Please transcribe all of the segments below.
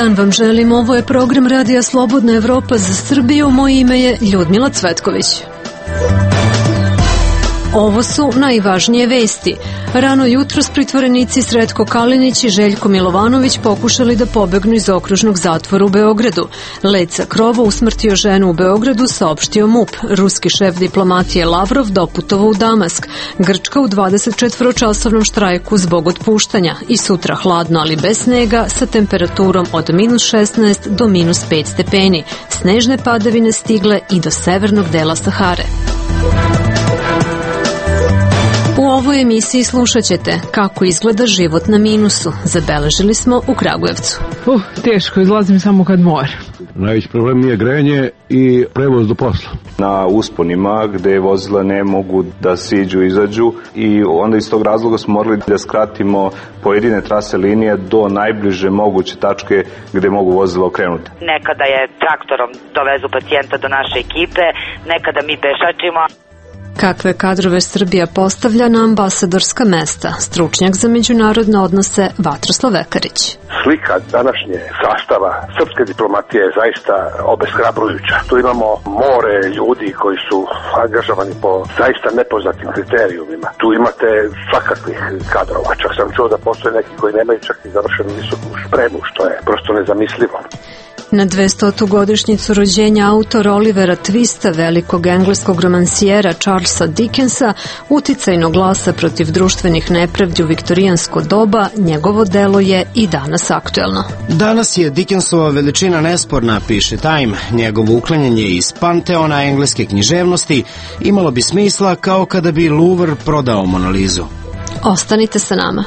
dan vam želim, ovo je program Radija Slobodna Evropa za Srbiju, moje ime je Ljudmila Cvetković. Ovo su najvažnije vesti. Rano jutros pritvorenici Sretko Kalinić i Željko Milovanović pokušali da pobegnu iz okružnog zatvora u Beogradu. Let sa krova usmrtio ženu u Beogradu, saopštio MUP. Ruski šef diplomatije Lavrov doputovao u Damask. Grčka u 24-časovnom štrajku zbog otpuštanja. I sutra hladno, ali bez snega, sa temperaturom od -16 do -5 stepeni. Snežne padavine stigle i do severnog dela Sahare. U ovoj emisiji slušat ćete kako izgleda život na minusu. Zabeležili smo u Kragujevcu. Teško, izlazim samo kad moram. Najveći problem je grejanje i prevoz do posla. Na usponima gde vozila ne mogu da siđu, izađu i onda iz tog razloga smo morali da skratimo pojedine trase linije do najbliže moguće tačke gde mogu vozila okrenuti. Nekada je traktorom dovezu pacijenta do naše ekipe, nekada mi pešačimo. Kakve kadrove Srbija postavlja na ambasadorska mesta? Stručnjak za međunarodne odnose Vatroslav Vekarić. Slika današnje sastava srpske diplomatije je zaista obeshrabrujuća. Tu imamo more ljudi koji su angažovani po zaista nepoznatim kriterijumima. Tu imate svakakvih kadrova. Čak sam čuo da postoje neki koji nemaju čak i završenu visoku spremu, što je prosto nezamislivo. Na 200. godišnjicu rođenja autor Olivera Twista, velikog engleskog romansijera Charlesa Dickensa, uticajnog glasa protiv društvenih nepravdi u viktorijansko doba, njegovo delo je i danas aktuelno. Danas je Dickensova veličina nesporna, piše Time. Njegovo uklanjanje iz panteona engleske književnosti imalo bi smisla kao kada bi Louvre prodao Mona Lizu. Ostanite sa nama.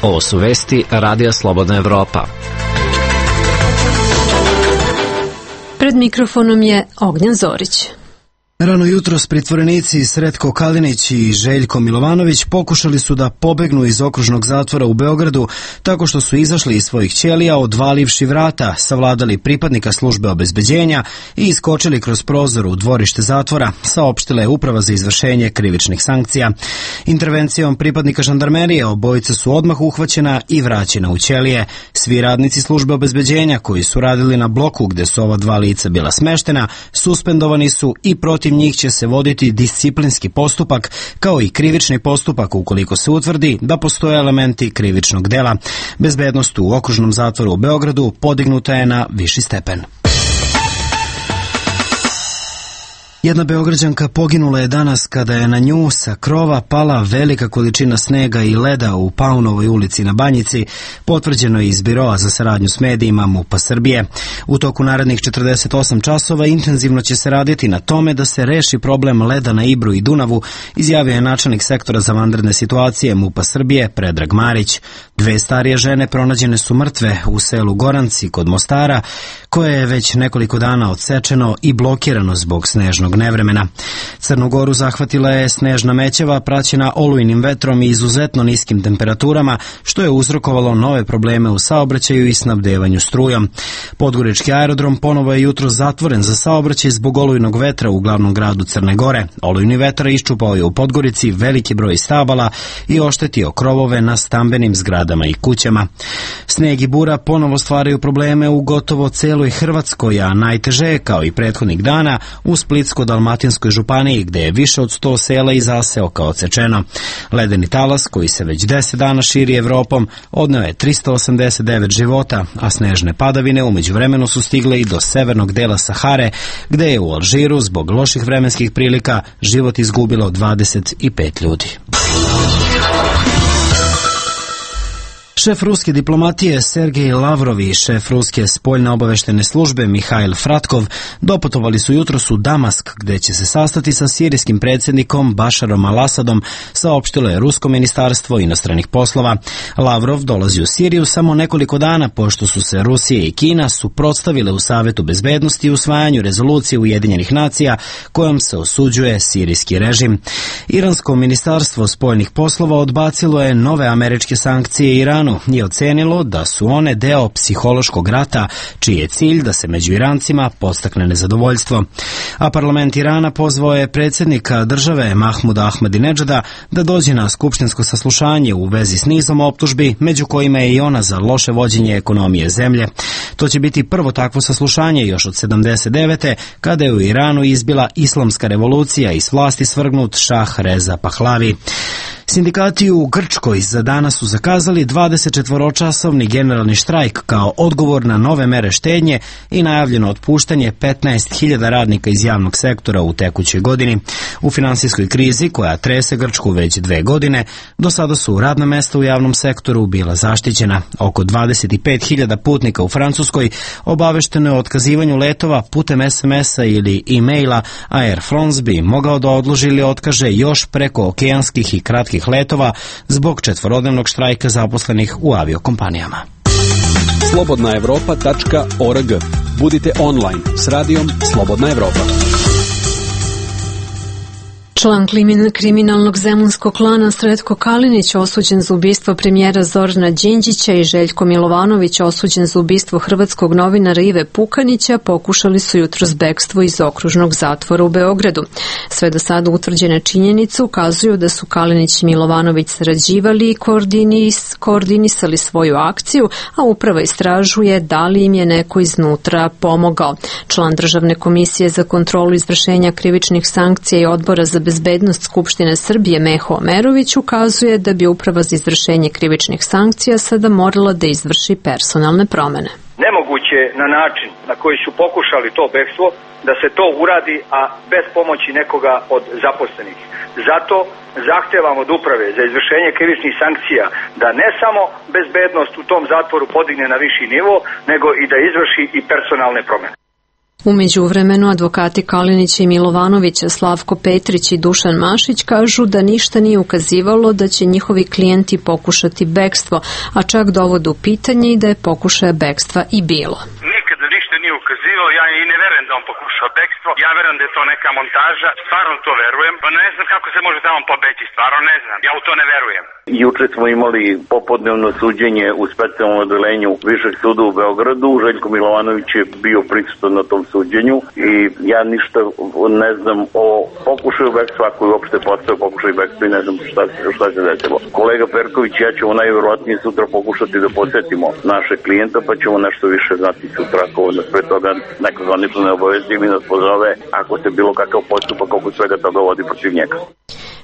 Ovo su vesti Radija Slobodna Evropa. Pred mikrofonom je Ognjan Zorić. Rano jutros pritvorenici Sretko Kalinić i Željko Milovanović pokušali su da pobegnu iz okružnog zatvora u Beogradu tako što su izašli iz svojih ćelija, odvalivši vrata, savladali pripadnika službe obezbeđenja i iskočili kroz prozor u dvorište zatvora, saopštila je Uprava za izvršenje krivičnih sankcija. Intervencijom pripadnika žandarmerije obojica su odmah uhvaćena i vraćena u ćelije. Svi radnici službe obezbeđenja koji su radili na bloku gde su ova dva lica bila smeštena, suspendovani su i protiv njih će se voditi disciplinski postupak kao i krivični postupak ukoliko se utvrdi da postoje elementi krivičnog dela. Bezbednost u okružnom zatvoru u Beogradu podignuta je na viši stepen. Jedna Beograđanka poginula je danas kada je na nju sa krova pala velika količina snega i leda u Paunovoj ulici na Banjici, potvrđeno je iz Biroa za saradnju s medijima MUP-a Srbije. U toku narednih 48 časova intenzivno će se raditi na tome da se reši problem leda na Ibru i Dunavu, izjavio je načelnik sektora za vanredne situacije MUP-a Srbije Predrag Marić. Dve starije žene pronađene su mrtve u selu Goranci kod Mostara, koje je već nekoliko dana odsečeno i blokirano zbog snežnog nevremena. Crnu Goru zahvatila je snežna mećava praćena olujnim vetrom i izuzetno niskim temperaturama, što je uzrokovalo nove probleme u saobraćaju i snabdevanju strujom. Podgorički aerodrom ponovo je jutro zatvoren za saobraćaj zbog olujnog vetra u glavnom gradu Crne Gore. Olujni vetar iščupao je u Podgorici veliki broj stabala i oštetio krovove na stambenim zgradama i kućama. Sneg i bura ponovo stvaraju probleme u gotovo celoj Hrvatskoj, a najteže je, kao i prethodnih dana, u Splitsko-Dalmatinskoj županiji, gde je više od 100 sela i zaseoka odsečeno. Ledeni talas, koji se već 10 dana širi Evropom, odneo je 389 života, a snežne padavine umeđu vremenu su stigle i do severnog dela Sahare, gde je u Alžiru zbog loših vremenskih prilika život izgubilo 25 ljudi. Šef ruske diplomatije Sergej Lavrov i šef ruske spoljne obaveštene službe Mihail Fratkov doputovali su jutros u Damask, gde će se sastati sa sirijskim predsjednikom Bašarom al-Asadom, saopštilo je Rusko ministarstvo inostranih poslova. Lavrov dolazi u Siriju samo nekoliko dana pošto su se Rusija i Kina suprotstavile u Savetu bezbednosti usvajanju rezolucije Ujedinjenih nacija kojom se osuđuje sirijski režim. Iransko ministarstvo spoljnih poslova odbacilo je nove američke sankcije Iranu Iranu je ocenilo da su one deo psihološkog rata, čiji je cilj da se među Irancima podstakne nezadovoljstvo. A parlament Irana pozvao je predsjednika države Mahmuda Ahmadinedžada da dođe na skupštinsko saslušanje u vezi s nizom optužbi, među kojima je i ona za loše vođenje ekonomije zemlje. To će biti prvo takvo saslušanje još od 79. kada je u Iranu izbila islamska revolucija i s vlasti svrgnut Šah Reza Pahlavi. Sindikati u Grčkoj za danas su zakazali 24-časovni generalni štrajk kao odgovor na nove mere štednje i najavljeno otpuštanje 15.000 radnika iz javnog sektora u tekućoj godini. U finansijskoj krizi koja trese Grčku već 2 godine, do sada su radna mesta u javnom sektoru bila zaštićena. Oko 25.000 putnika u Francuskoj obavešteno je o otkazivanju letova putem SMS-a ili e-maila, a Air France bi mogao da odloži ili otkaže još preko okeanskih i kratkih letova zbog 4-dnevnog štrajka zaposlenih u aviokompanijama. slobodnaevropa.org. Budite online s radijom Slobodna Evropa. Član kriminalnog zemunskog klana Sretko Kalinić osuđen za ubistvo premijera Zorana Đinđića i Željko Milovanović osuđen za ubistvo hrvatskog novinara Ive Pukanića pokušali su jutros bekstvo iz okružnog zatvora u Beogradu. Sve do sada utvrđene činjenice ukazuju da su Kalinić i Milovanović sarađivali i koordinisali svoju akciju, a uprava istražuje da li im je neko iznutra pomogao. Član Državne komisije za kontrolu izvršenja krivičnih sankcija i Odbora za bezbednost Skupštine Srbije Meho Omerović ukazuje da bi uprava za izvršenje krivičnih sankcija sada morala da izvrši personalne promene. Nemoguće na način na koji su pokušali to bekstvo da se to uradi, a bez pomoći nekoga od zaposlenih. Zato zahtevam od uprave za izvršenje krivičnih sankcija da ne samo bezbednost u tom zatvoru podigne na viši nivo, nego i da izvrši i personalne promene. U međuvremenu advokati Kalinića i Milovanovića Slavko Petrić i Dušan Mašić kažu da ništa nije ukazivalo da će njihovi klijenti pokušati bekstvo, a čak dovode u pitanje i da je pokušaja bekstva i bilo. Nikada ništa nije ukazivalo, ja i ne verujem da on pokušao bekstvo, ja verujem da je to neka montaža, stvarno to verujem, pa ne znam kako se može tamo pobeći, stvarno ne znam, ja u to ne verujem. Juče smo imali popodnevno suđenje u specijalnom odelenju Višeg suda u Beogradu. Željko Milovanović je bio prisutan na tom suđenju i ja ništa ne znam o pokušaju bekstva, ako je uopšte postao pokušaj bekstva i ne znam šta se desilo. Kolega Perković i ja ćemo najvjerovatnije sutra pokušati da posjetimo naše klijenta, pa ćemo nešto više znati sutra, ako nas pre toga neko zvanično ne obavesti i nas pozove ako se bilo kakav postupak oko svega toga vodi protiv njega.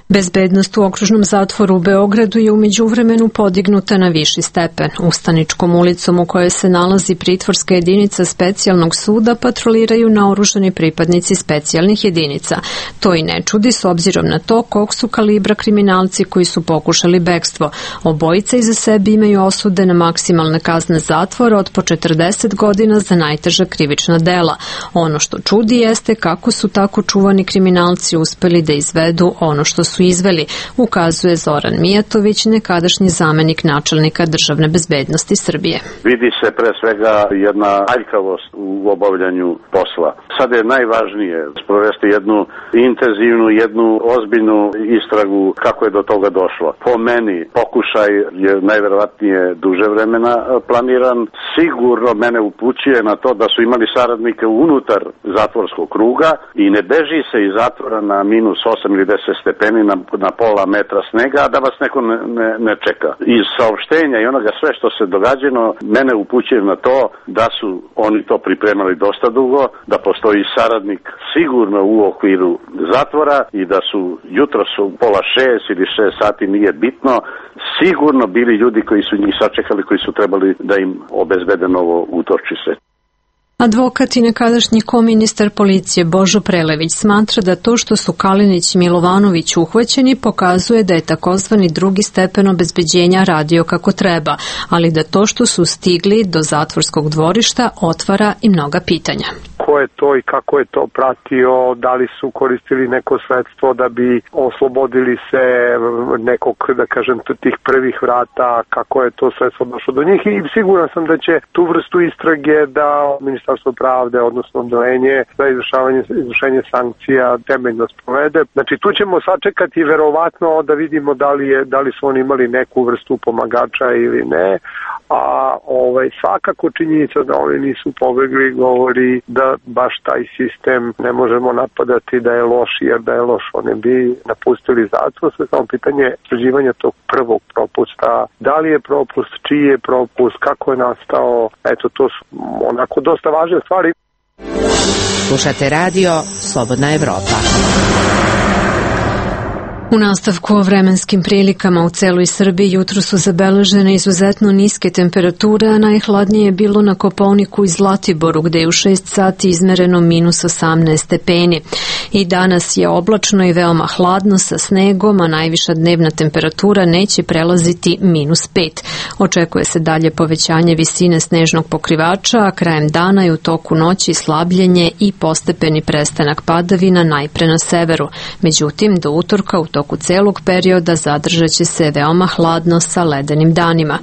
Bezbednost u okružnom zatvoru u Beogradu je u međuvremenu podignuta na viši stepen. Ustaničkom ulicom u kojoj se nalazi pritvorska jedinica specijalnog suda patroliraju naoružani pripadnici specijalnih jedinica. To i ne čudi s obzirom na to kog su kalibra kriminalci koji su pokušali bekstvo. Obojica iza sebe imaju osude na maksimalne kazne zatvora od po 40 godina za najteža krivična dela. Ono što čudi jeste kako su tako čuvani kriminalci uspeli da izvedu ono što su izveli, ukazuje Zoran Mijatović, nekadašnji zamenik načelnika Državne bezbednosti Srbije. Vidi se pre svega jedna aljkavost u obavljanju posla. Sad je najvažnije sprovesti jednu intenzivnu, jednu ozbiljnu istragu kako je do toga došlo. Po meni pokušaj je najverovatnije duže vremena planiran. Sigurno mene upućuje na to da su imali saradnike unutar zatvorskog kruga i ne beži se iz zatvora na -8 ili 10 stepeni na pola metra snega, a da vas neko ne čeka. Iz saopštenja i onoga sve što se događeno, mene upućuje na to da su oni to pripremali dosta dugo, da postoji saradnik sigurno u okviru zatvora i da su jutros u pola 6 ili 6 sati, nije bitno, sigurno bili ljudi koji su njih sačekali, koji su trebali da im obezbede novo utočište. Advokat i nekadašnji koministar policije Božo Prelević smatra da to što su Kalinić i Milovanović uhvaćeni pokazuje da je takozvani drugi stepen obezbeđenja radio kako treba, ali da to što su stigli do zatvorskog dvorišta otvara i mnoga pitanja. ko je to i kako je to pratio, da li su koristili neko sredstvo da bi oslobodili se nekog, da kažem, tih prvih vrata, kako je to sredstvo došlo do njih i siguran sam da će tu vrstu istrage da Ministarstvo pravde, odnosno odeljenje za izvršenje sankcija temeljno sprovede. Znači tu ćemo sačekati verovatno da vidimo da li su oni imali neku vrstu pomagača ili ne, a svakako činjenica da oni nisu pobegli govori da baš taj sistem ne možemo napadati da je loš, jer da je loš oni bi napustili zatvor. Sve samo pitanje istraživanja tog prvog propusta, da li je propust, čiji je propust, kako je nastao, eto to su onako dosta važne stvari. Slušate radio Slobodna Evropa. U nastavku o vremenskim prilikama u celoj Srbiji jutro su zabeležene izuzetno niske temperature, a najhladnije je bilo na Kopaoniku i Zlatiboru, gde je u 6 sati izmereno minus 18 stepeni. I danas je oblačno i veoma hladno sa snegom, a najviša dnevna temperatura neće prelaziti minus 5. Očekuje se dalje povećanje visine snežnog pokrivača, a krajem dana i u toku noći slabljenje i postepeni prestanak padavina najpre na severu. Međutim, do utorka u toku celog perioda zadržat će se veoma hladno sa ledenim danima.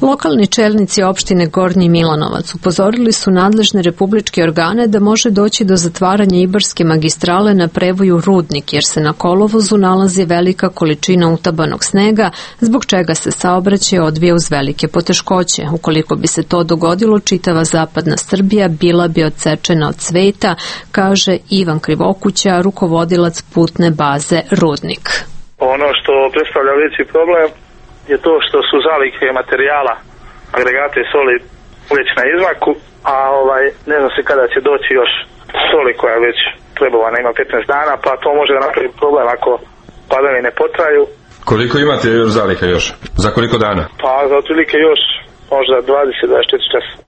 Lokalni čelnici opštine Gornji Milanovac upozorili su nadležne republičke organe da može doći do zatvaranja Ibarske magistrale na prevoju Rudnik, jer se na kolovozu nalazi velika količina utabanog snega, zbog čega se saobraćaj odvija uz velike poteškoće. Ukoliko bi se to dogodilo, čitava zapadna Srbija bila bi odsečena od sveta, kaže Ivan Krivokuća, rukovodilac putne baze Rudnik. Ono što predstavlja veći problem je to što su zalihe materijala, agregate soli već na izmaku, a ne zna se kada će doći još soli koja je već trebovana, ima 15 dana, pa to može da napravi problem ako padavine ne potraju. Koliko imate zaliha još? Za koliko dana? Pa za otprilike još možda 20-24 časa.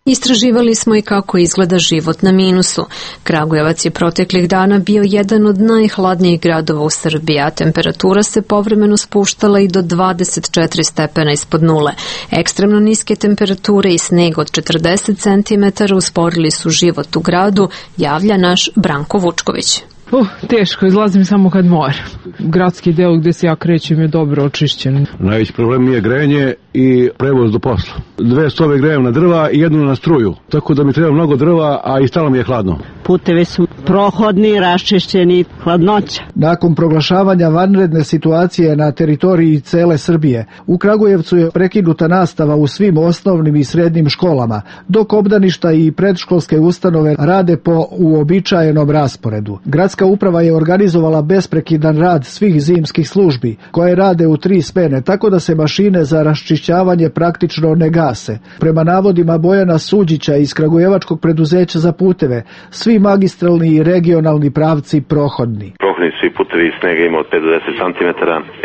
Istraživali smo i kako izgleda život na minusu. Kragujevac je proteklih dana bio jedan od najhladnijih gradova u Srbiji, a temperatura se povremeno spuštala i do 24 stepena ispod nule. Ekstremno niske temperature i sneg od 40 cm usporili su život u gradu, javlja naš Branko Vučković. Teško, izlazim samo kad mora. Gradski deo gde se ja krećem je dobro očišćen. Najveći problem je grejanje i prevoz do posla. 2 stove grejem na drva i jednu na struju. Tako da mi treba mnogo drva, a i stalo mi je hladno. Putevi su prohodni, raščišćeni, hladnoća. Nakon proglašavanja vanredne situacije na teritoriji cele Srbije, u Kragujevcu je prekinuta nastava u svim osnovnim i srednjim školama, dok obdaništa i predškolske ustanove rade po uobičajenom rasporedu. Gradska uprava je organizovala besprekidan rad svih zimskih službi, koje rade u 3 smene, tako da se mašine za raščišćavanje praktično ne gase. Prema navodima Bojana Suđića iz Kragujevačkog preduzeća za puteve, svi magistralni i regionalni pravci prohodni. Prohodni svi putevi, snega ima od 5 do 10 cm,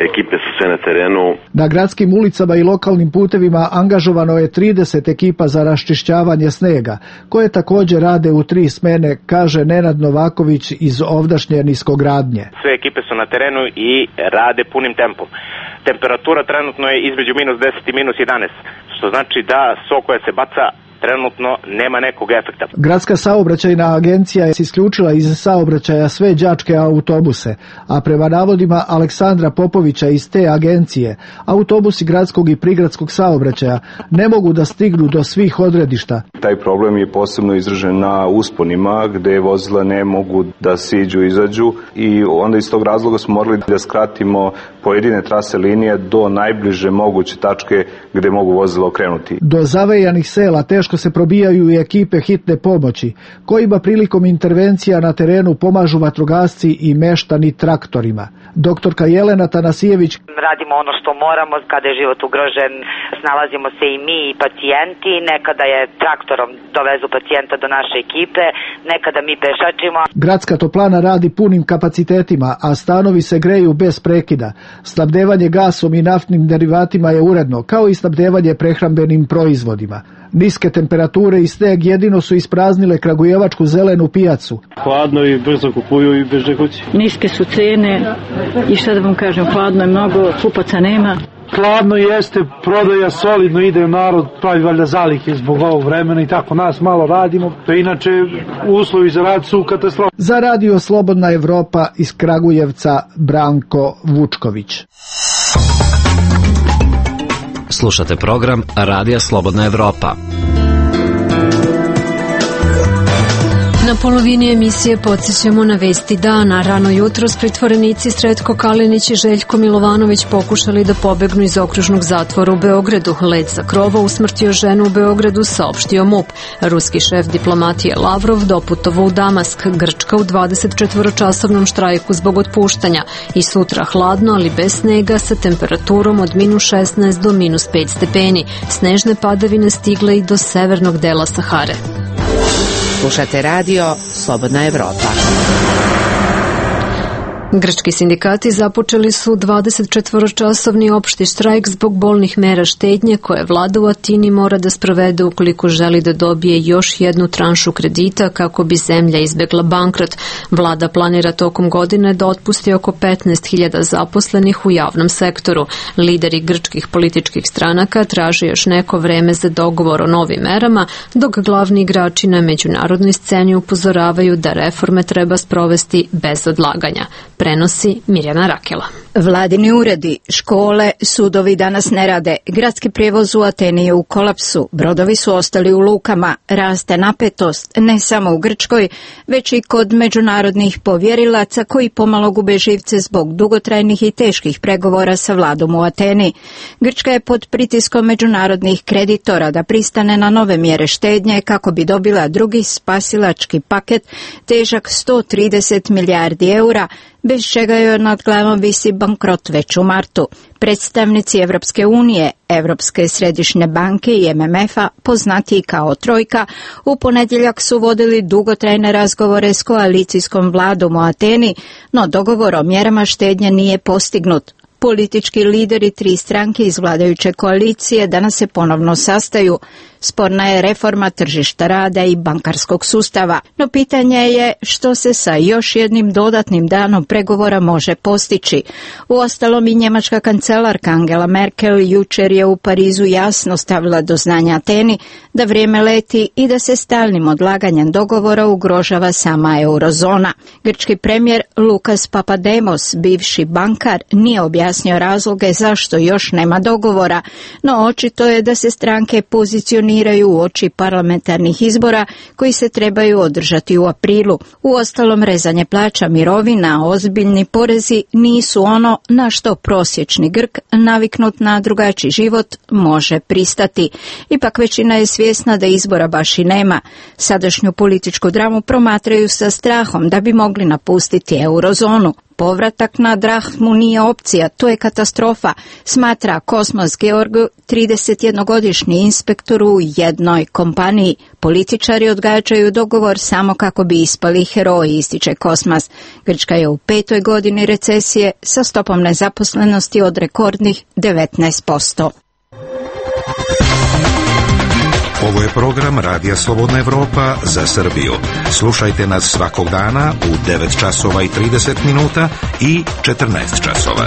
ekipe su sve na terenu. Na gradskim ulicama i lokalnim putevima angažovano je 30 ekipa za raščišćavanje snega, koje također rade u 3 smene, kaže Nenad Novaković iz ovdašnje niskogradnje. Sve ekipe su na terenu i rade punim tempom. Temperatura trenutno je između minus 10 i minus 11, što znači da so koja se baca trenutno nema nekog efekta. Gradska saobraćajna agencija je isključila iz saobraćaja sve đačke autobuse, a prema navodima Aleksandra Popovića iz te agencije, autobusi gradskog i prigradskog saobraćaja ne mogu da stignu do svih odredišta. Taj problem je posebno izražen na usponima gde vozila ne mogu da siđu, izađu i onda iz tog razloga smo morali da skratimo pojedine trase linije do najbliže moguće tačke gde mogu vozila okrenuti. Do zavejanih sela teško se probijaju i ekipe hitne pomoći, kojima prilikom intervencija na terenu pomažu vatrogasci i meštani traktorima. Doktorka Jelena Tanasijević: radimo ono što moramo, kada je život ugrožen, snalazimo se i mi i pacijenti, nekada je traktorom dovezu pacijenta do naše ekipe, nekada mi pešačimo. Gradska toplana radi punim kapacitetima, a stanovi se greju bez prekida. Snabdevanje gasom i naftnim derivatima je uredno, kao i snabdevanje prehrambenim proizvodima. Niske temperature i sneg jedino su ispraznile kragujevačku zelenu pijacu. Hladno i brzo kupuju i beže kući. Niske su cene i šta da vam kažem, hladno je mnogo, kupaca nema. Hladno jeste, prodaja solidno ide, narod pravi valjda zalihe zbog ovog vremena i tako nas malo radimo, pa inače uslovi za rad su katastrofa. Za Radio Slobodna Evropa iz Kragujevca Branko Vučković. Slušate program Radija Slobodna Evropa. Na polovini emisije podsjećamo na vesti dana. Rano jutros pritvorenici Sretko Kalinić i Željko Milovanović pokušali da pobegnu iz okružnog zatvora u Beogradu. Let sa krova usmrtio ženu u Beogradu, saopštio MUP. Ruski šef diplomatije Lavrov doputovao u Damask. Grčka u 24-časovnom štrajku zbog otpuštanja. I sutra hladno, ali bez snega, sa temperaturom od -16 do -5 stepeni. Snežne padavine stigle i do severnog dela Sahare. Slušate radio Slobodna Evropa. Grčki sindikati započeli su 24-časovni opšti štrajk zbog bolnih mera štednje koje vlada u Atini mora da sprovede ukoliko želi da dobije još jednu tranšu kredita kako bi zemlja izbegla bankrot. Vlada planira tokom godine da otpusti oko 15.000 zaposlenih u javnom sektoru. Lideri grčkih političkih stranaka traže još neko vreme za dogovor o novim merama, dok glavni igrači na međunarodnoj sceni upozoravaju da reforme treba sprovesti bez odlaganja. Prenosi Mirjana Rakela. Vladini uredi, škole, sudovi danas ne rade. Gradski prijevoz u Ateni je u kolapsu. Brodovi su ostali u lukama. Raste napetost ne samo u Grčkoj, već i kod međunarodnih povjerilaca koji pomalo gube živce zbog dugotrajnih i teških pregovora sa vladom u Ateni. Grčka je pod pritiskom međunarodnih kreditora da pristane na nove mjere štednje kako bi dobila drugi spasilački paket težak 130 milijardi eura, bez čega joj nad glavom visi bankrot već u martu. Predstavnici Evropske unije, Evropske središnje banke i MMF-a, poznatiji kao Trojka, u ponedjeljak su vodili dugotrajne razgovore s koalicijskom vladom u Ateni, no dogovor o mjerama štednje nije postignut. Politički lideri 3 stranke iz vladajuće koalicije danas se ponovno sastaju. Sporna je reforma tržišta rada i bankarskog sustava, no pitanje je što se sa još jednim dodatnim danom pregovora može postići. Uostalom i njemačka kancelarka Angela Merkel jučer je u Parizu jasno stavila do znanja Ateni da vrijeme leti i da se stalnim odlaganjem dogovora ugrožava sama eurozona. Grčki premijer Lukas Papademos, bivši bankar, nije objasnio razloge zašto još nema dogovora, no očito je da se stranke pozicioniraju u oči parlamentarnih izbora koji se trebaju održati u aprilu. Uostalom, rezanje plaća, mirovina, ozbiljni porezi nisu ono na što prosječni Grk, naviknut na drugačiji život, može pristati. Ipak većina je svjesna da izbora baš i nema. Sadašnju političku dramu promatraju sa strahom da bi mogli napustiti eurozonu. Povratak na drahmu nije opcija, to je katastrofa, smatra Kosmas Georgu, 31-godišnji inspektor u jednoj kompaniji. Političari odgađaju dogovor samo kako bi ispali heroji, ističe Kosmas. Grčka je u 5. godini recesije sa stopom nezaposlenosti od rekordnih 19%. Ovo je program Radija Slobodna Evropa za Srbiju. Slušajte nas svakog dana u 9 časova i 30 minuta i 14 časova.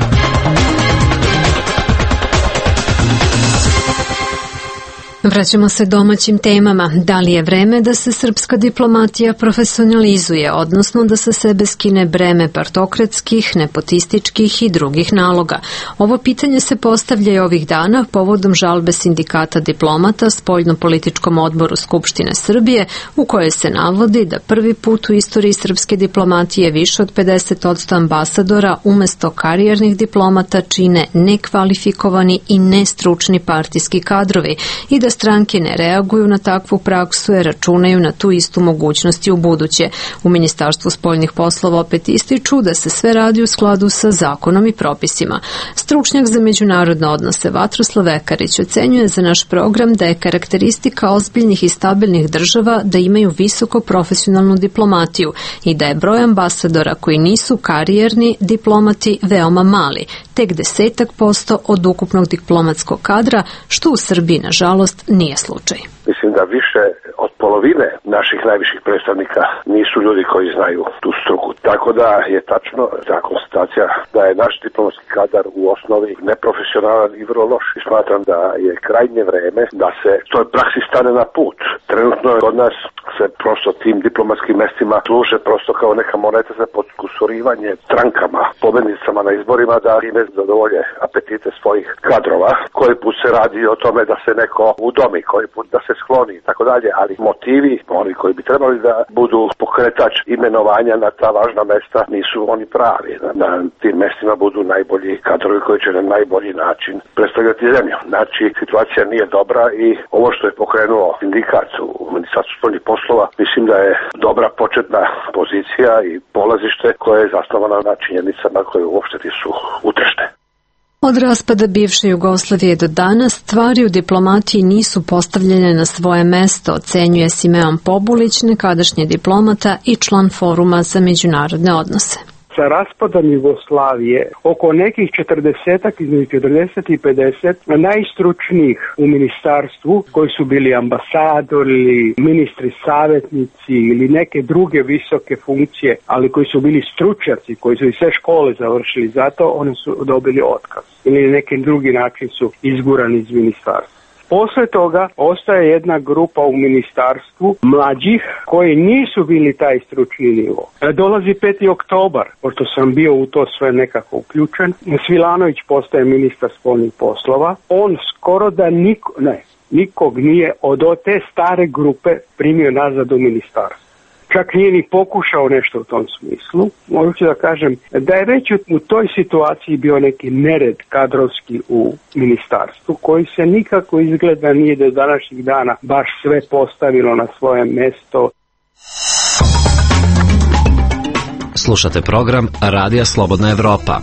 Vraćamo se domaćim temama. Da li je vreme da se srpska diplomatija profesionalizuje, odnosno da se sebe skine breme partokratskih, nepotističkih i drugih naloga? Ovo pitanje se postavlja i ovih dana povodom žalbe sindikata diplomata Spoljno-političkom odboru Skupštine Srbije, u kojoj se navodi da prvi put u istoriji srpske diplomatije više od 50% ambasadora umesto karijernih diplomata čine nekvalifikovani i nestručni partijski kadrovi i da stranke ne reaguju na takvu praksu jer računaju na tu istu mogućnost i u buduće. U Ministarstvu spoljnih poslova opet ističu da se sve radi u skladu sa zakonom i propisima. Stručnjak za međunarodne odnose Vatroslav Vekarić ocenjuje za naš program da je karakteristika ozbiljnih i stabilnih država da imaju visoko profesionalnu diplomatiju i da je broj ambasadora koji nisu karijerni diplomati veoma mali, tek 10% od ukupnog diplomatskog kadra, što u Srbiji, nažalost, nije slučaj. Mislim da više od polovine naših najviših predstavnika nisu ljudi koji znaju tu struku. Tako da je tačno ta konstatacija da je naš diplomatski kadar u osnovi neprofesionalan i vrlo loš. I smatram da je krajnje vreme da se toj praksi stane na put. Trenutno je kod nas se prosto tim diplomatskim mestima služe prosto kao neka moneta za podkusurivanje strankama, pobednicama na izborima da ime zadovolje apetite svojih kadrova. Koji put se radi o tome da se neko udomi, koji put da se skloni i tako dalje, ali motivi, oni koji bi trebali da budu pokretač imenovanja na ta važna mesta, nisu oni pravi. Na tim mestima budu najbolji kadrovi koji će na najbolji način predstavljati zemlju. Znači, situacija nije dobra i ovo što je pokrenuo sindikat u Ministarstvu spoljnih poslova, mislim da je dobra početna pozicija i polazište koje je zasnovano na činjenicama koje uopšte nisu utrešne. Od raspada bivše Jugoslavije do danas stvari u diplomatiji nisu postavljene na svoje mesto, ocenjuje Simeon Pobulić, nekadašnji diplomata i član Foruma za međunarodne odnose. Sa raspadom Jugoslavije oko nekih 40, između 40 i 50 najstručnijih u ministarstvu koji su bili ambasadori, ministri savjetnici ili neke druge visoke funkcije, ali koji su bili stručnjaci, koji su i sve škole završili, zato oni su dobili otkaz ili na neki drugi način su izgurani iz ministarstva. Posle toga ostaje jedna grupa u ministarstvu mlađih koji nisu bili taj stručni nivo. Dolazi 5. oktobar, pošto sam bio u to sve nekako uključen. Svilanović postaje ministar spoljnih poslova. On skoro da nikog nije od te stare grupe primio nazad u ministarstvo. Čak nije ni pokušao nešto u tom smislu. Mogu da kažem da je već u toj situaciji bio neki nered kadrovski u ministarstvu koji se nikako izgleda nije do današnjih dana baš sve postavilo na svoje mesto. Slušate program Radija Slobodna Evropa.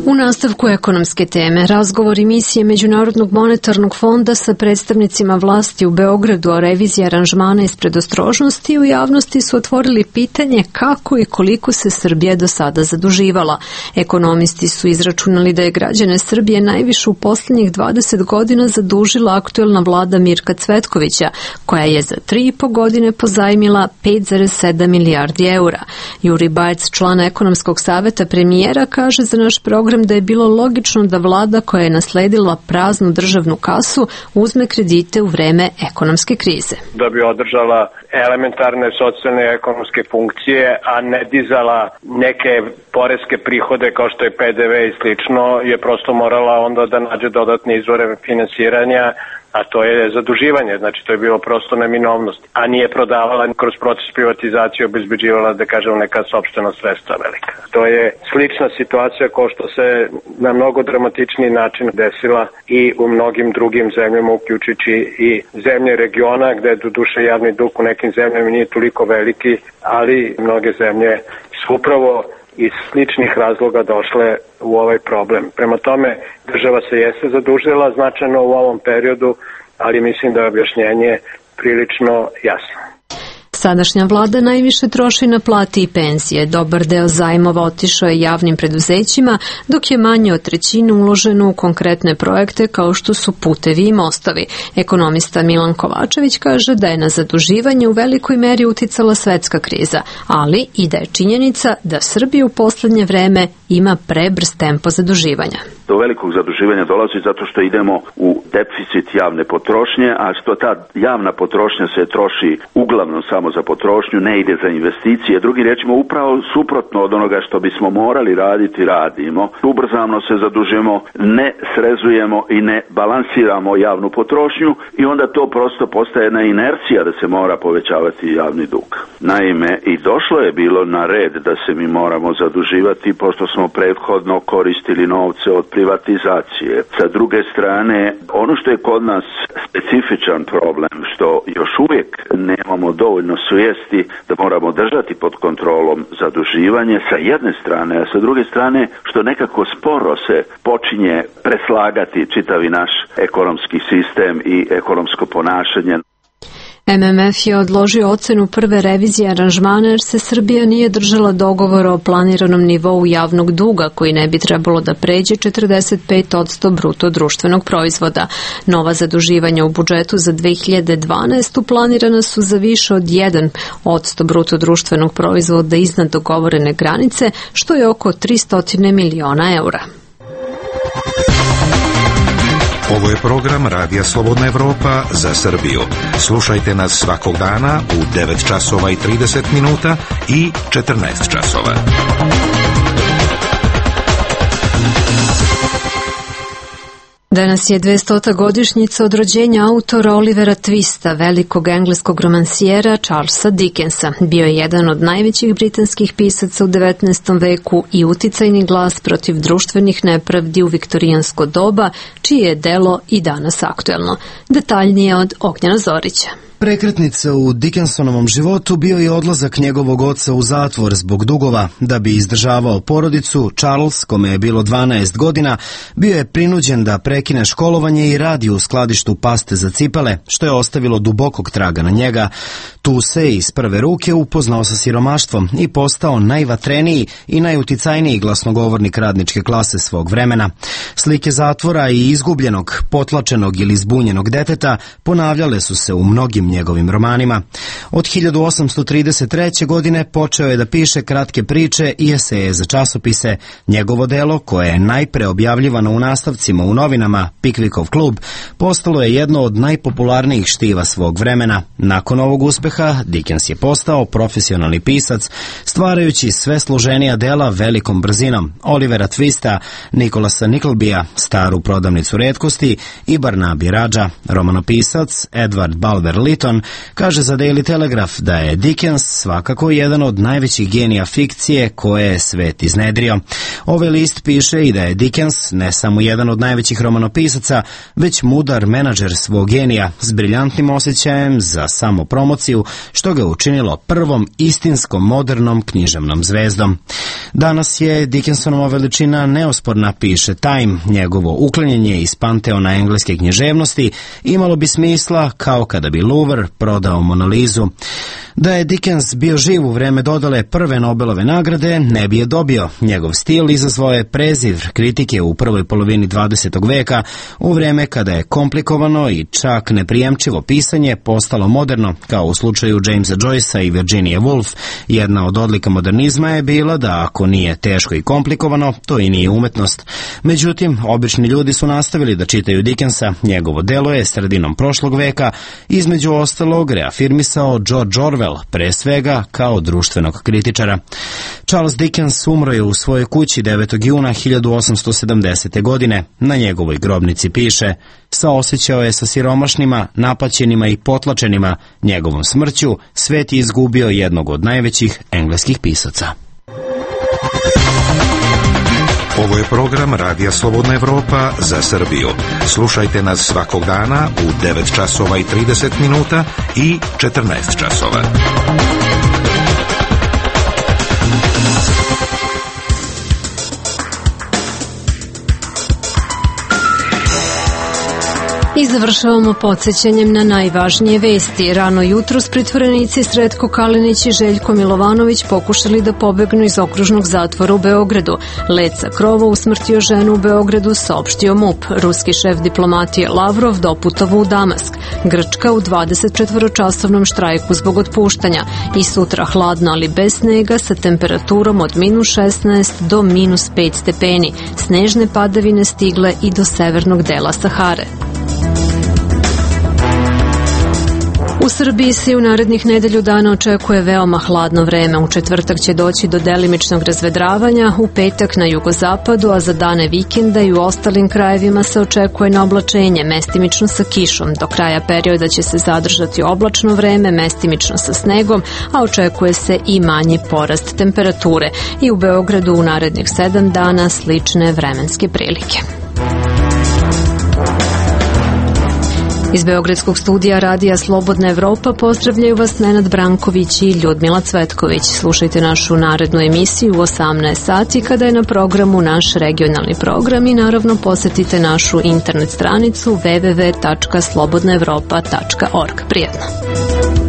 U nastavku ekonomske teme, razgovor emisije Međunarodnog monetarnog fonda sa predstavnicima vlasti u Beogradu o reviziji aranžmana iz predostrožnosti u javnosti su otvorili pitanje kako i koliko se Srbija do sada zaduživala. Ekonomisti su izračunali da je građane Srbije najviše u posljednjih 20 godina zadužila aktuelna vlada Mirka Cvetkovića, koja je za 3,5 godine pozajmila 5,7 milijardi eura. Juri Bajec, član ekonomskog saveta premijera, kaže za naš program da je bilo logično da vlada koja je nasledila praznu državnu kasu uzme kredite u vreme ekonomske krize. Da bi održala elementarne socijalne i ekonomske funkcije, a ne dizala neke poreske prihode kao što je PDV i slično, je prosto morala onda da nađe dodatne izvore finansiranja, a to je zaduživanje, znači to je bilo prosto neminovnost, a nije prodavala kroz proces privatizacije, obezbeđivala, da kažem, neka sopstvena sredstva velika. To je slična situacija kao što se na mnogo dramatičniji način desila i u mnogim drugim zemljama, uključujući i zemlje regiona, gde do duše javni dug u nekim zemljama nije toliko veliki, ali mnoge zemlje su upravo iz sličnih razloga došle u ovaj problem. Prema tome, država se jeste zadužila značajno u ovom periodu, ali mislim da je objašnjenje prilično jasno. Sadašnja vlada najviše troši na plate i penzije. Dobar deo zajmova otišao je javnim preduzećima, dok je manje od trećine uloženo u konkretne projekte kao što su putevi i mostovi. Ekonomista Milan Kovačević kaže da je na zaduživanje u velikoj meri uticala svetska kriza, ali i da je činjenica da Srbija u poslednje vreme ima prebrz tempo zaduživanja. Do velikog zaduživanja dolazi zato što idemo u deficit javne potrošnje, a što ta javna potrošnja se troši uglavnom samo za potrošnju, ne ide za investicije. Drugim riječima, upravo suprotno od onoga što bismo morali raditi, radimo. Ubrzano se zadužujemo, ne srezujemo i ne balansiramo javnu potrošnju i onda to prosto postaje jedna inercija da se mora povećavati javni dug. Naime, i došlo je bilo na red da se mi moramo zaduživati pošto smo prethodno koristili novce od privatizacije. Sa druge strane, ono što je kod nas specifičan problem, što još uvijek nemamo dovoljno svijesti da moramo držati pod kontrolom zaduživanje sa jedne strane, a sa druge strane što nekako sporo se počinje preslagati čitavi naš ekonomski sistem i ekonomsko ponašanje. MMF je odložio ocenu prve revizije aranžmana jer se Srbija nije držala dogovora o planiranom nivou javnog duga koji ne bi trebalo da pređe 45% bruto društvenog proizvoda. Nova zaduživanja u budžetu za 2012. planirana su za više od 1% bruto društvenog proizvoda iznad dogovorene granice, što je oko 300 miliona eura. Ovo je program Radija Slobodna Evropa za Srbiju. Slušajte nas svakog dana u 9 časova i 30 minuta i 14 časova. Danas je 200. godišnjica od rođenja autora Olivera Twista, velikog engleskog romansijera Charlesa Dickensa. Bio je jedan od najvećih britanskih pisaca u 19. veku i uticajni glas protiv društvenih nepravdi u viktorijansko doba, čije je delo i danas aktuelno. Detaljnije od Ognjena Zorića. Prekretnica u Dickensonovom životu bio je odlazak njegovog oca u zatvor zbog dugova. Da bi izdržavao porodicu, Charles, kome je bilo 12 godina, bio je prinuđen da prekine školovanje i radi u skladištu paste za cipele, što je ostavilo dubokog traga na njega. Tu se iz prve ruke upoznao sa siromaštvom i postao najvatreniji i najuticajniji glasnogovornik radničke klase svog vremena. Slike zatvora i izgubljenog, potlačenog ili zbunjenog deteta ponavljale su se u mnogim njegovim romanima. Od 1833. godine počeo je da piše kratke priče i eseje za časopise. Njegovo delo, koje je najpre objavljivano u nastavcima u novinama Pickwickov klub, postalo je jedno od najpopularnijih štiva svog vremena. Nakon ovog uspeha, Dickens je postao profesionalni pisac, stvarajući sve složenija dela velikom brzinom. Olivera Twista, Nicholasa Nicklebya, Staru prodavnicu retkosti i Barnaby Radža. Romanopisac Edward Bulwer Lytton kaže za Daily Telegraph da je Dickens svakako jedan od najvećih genija fikcije koje je svet iznedrio. Ovaj list piše i da je Dickens ne samo jedan od najvećih romanopisaca, već mudar menadžer svog genija s briljantnim osjećajem za samopromociju, što ga učinilo prvom istinskom modernom književnom zvezdom. Danas je Dickensonova veličina neosporna, piše Time. Njegovo uklanjanje iz panteona engleske književnosti imalo bi smisla kao kada bi Louvre prodao Monalizu. Da je Dickens bio živ u vreme dodale prve Nobelove nagrade, ne bi je dobio. Njegov stil izazvao je preziv kritike u prvoj polovini 20. veka, u vreme kada je komplikovano i čak neprijemčivo pisanje postalo moderno, kao u slučaju Jamesa Joycea i Virginia Woolf. Jedna od odlika modernizma je bila da ako nije teško i komplikovano, to i nije umetnost. Međutim, obični ljudi su nastavili da čitaju Dickensa. Njegovo delo je sredinom prošlog veka između ostalog reafirmisao George Orwell, pre svega kao društvenog kritičara. Charles Dickens umro je u svojoj kući 9. juna 1870. godine. Na njegovoj grobnici piše: saosećao je sa siromašnima, napaćenima i potlačenima. Njegovom smrću svet je izgubio jednog od najvećih engleskih pisaca. Ovo je program Radija Slobodna Evropa za Srbiju. Slušajte nas svakog dana u 9 časova i 30 minuta i 14 časova. I završavamo podsjećanjem na najvažnije vesti. Rano jutros pritvorenici Sretko Kalinić i Željko Milovanović pokušali da pobegnu iz okružnog zatvora u Beogradu. Let sa krova usmrtio ženu u Beogradu, saopštio MUP. Ruski šef diplomatije Lavrov doputovao u Damask. Grčka u 24-časovnom štrajku zbog otpuštanja. I sutra hladno, ali bez snega, sa temperaturom od -16 do -5 stepeni. Snežne padavine stigle i do severnog dela Sahare. U Srbiji se u narednih nedelju dana očekuje veoma hladno vreme. U četvrtak će doći do delimičnog razvedravanja, u petak na jugozapadu, a za dane vikenda i u ostalim krajevima se očekuje neoblačenje, mestimično sa kišom. Do kraja perioda će se zadržati oblačno vreme, mestimično sa snegom, a očekuje se i manji porast temperature. I u Beogradu u narednih 7 dana slične vremenske prilike. Iz Beogradskog studija Radija Slobodna Evropa pozdravljaju vas Nenad Branković i Ljudmila Cvetković. Slušajte našu narednu emisiju u 18 sati kada je na programu naš regionalni program i naravno posetite našu internet stranicu www.slobodnaevropa.org. Prijetno!